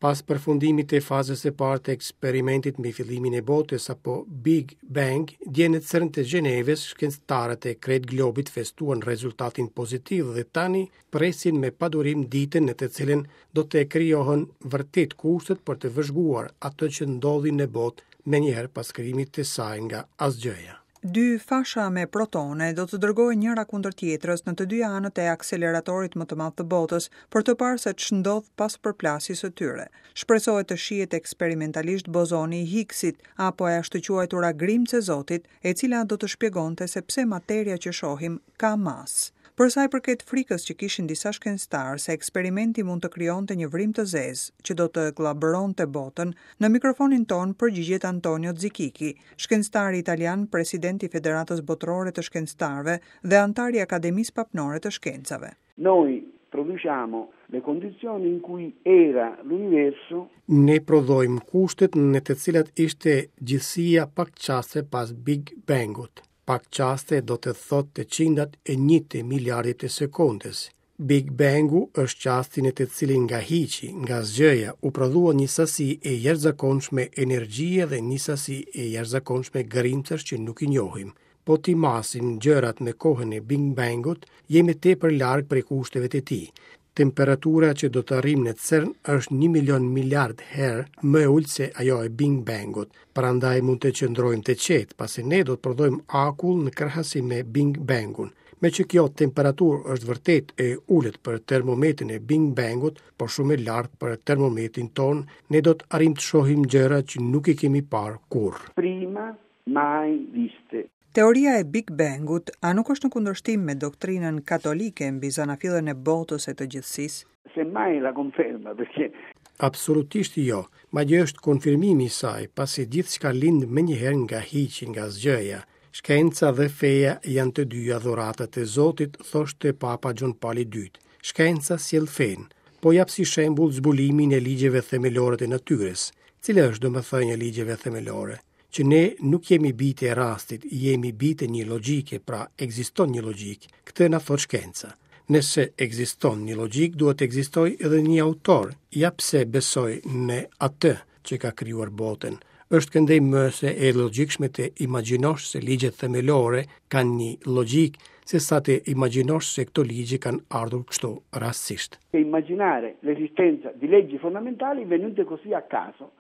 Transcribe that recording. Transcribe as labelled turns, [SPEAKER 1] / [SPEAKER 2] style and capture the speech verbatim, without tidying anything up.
[SPEAKER 1] Pas përfundimit të fazës së parë të eksperimentit mbi fillimin e botës apo Big Bang, dje në CERN të Gjenevës, shkencëtarët e krejt globit festuan rezultatin pozitiv dhe tani presin me padurim ditën në të cilën do të krijohen vërtet kushtet për të vëzhguar atë që ndodhi në botë menjëherë pas krijimit të saj nga asgjëja.
[SPEAKER 2] Dy fasha me protone do të dërgohen njëra kundër tjetrës në të dyja anët e akseleratorit më të madh të botës për të parë se ç'ndodh pas përplasjes së tyre. Shpresohet të shihet eksperimentalisht bozoni i Higgsit apo e ashtuquajtura grimcë e Zotit, e cila do të shpjegonte se pse materia që shohim ka masë. Për sa i përket frikës që kishin disa shkencëtarë se eksperimenti mund të krijonte një vrim të zezë që do të gllabëronte botën, në mikrofonin ton përgjigjet Antonio Zichichi, shkencëtari italian, president i Federatës Botërore të Shkencëtarëve dhe anëtar i Akademisë Papnore të Shkencave.
[SPEAKER 3] Noi produciamo le condizioni in cui era l'universo.
[SPEAKER 1] Ne prodhojmë kushtet në të cilat ishte gjithësia pak çaste pas Big Bangut. Pak çaste do të thotë të qindat e një të miliardit të sekondës. Big Bangu është çasti në të cilin nga hiqi, nga asgjëja, u prodhua një sasi e jashtëzakonshme energjie dhe një sasi e jashtëzakonshme grimcash që nuk i njohim. Po t'i masim gjërat me kohën e Big Bangut, jemi tepër larg prej kushteve të tij. Temperatura që do të arrijmë në CERN është një milion miliard herë më e ulët se ajo e Big Bangut. Prandaj mund të qëndrojmë të qetë, pasi ne do të prodhojmë akull në krahasim me Big Bangun. Me që kjo temperaturë është vërtet e ulët për termometrin e Big Bangut, por shumë e lartë për termometrin ton, ne do të arrijmë të shohim gjëra që nuk i kemi parë kurrë.
[SPEAKER 3] Prima mai viste.
[SPEAKER 2] Teoria e Big Bangut a nuk është në kundërshtim me doktrinën katolike mbi zanafillën e botës e të gjithësisë?
[SPEAKER 3] Semmai la conferma, perché
[SPEAKER 1] Absolutisht jo, madje është konfirmimi i saj, pasi gjithçka lind menjëherë nga hiqi, nga asgjëja. Shkenca dhe feja janë të dyja dhuratat e Zotit, thoshte Papa John Paul i dytë. Shkenca sjell fenë. Po jap si shembull zbulimin e ligjeve themelore të natyrës. Cila është domethënia e ligjeve themelore? Që ne nuk jemi bijtë e rastit, jemi bijtë e një logjike, pra ekziston një logjikë. Këtë na thot shkenca. Nëse ekziston një logjikë, duhet të ekzistojë edhe një autor. Ja pse besoj në atë që ka krijuar botën. Është këndej më se e logjikshme të imagjinosh se ligjet themelore kanë një logjikë, se sa të imagjinosh se këto ligje kanë ardhur kështu rastësisht.
[SPEAKER 3] Immaginare l'esistenza di leggi fondamentali venute così a caso.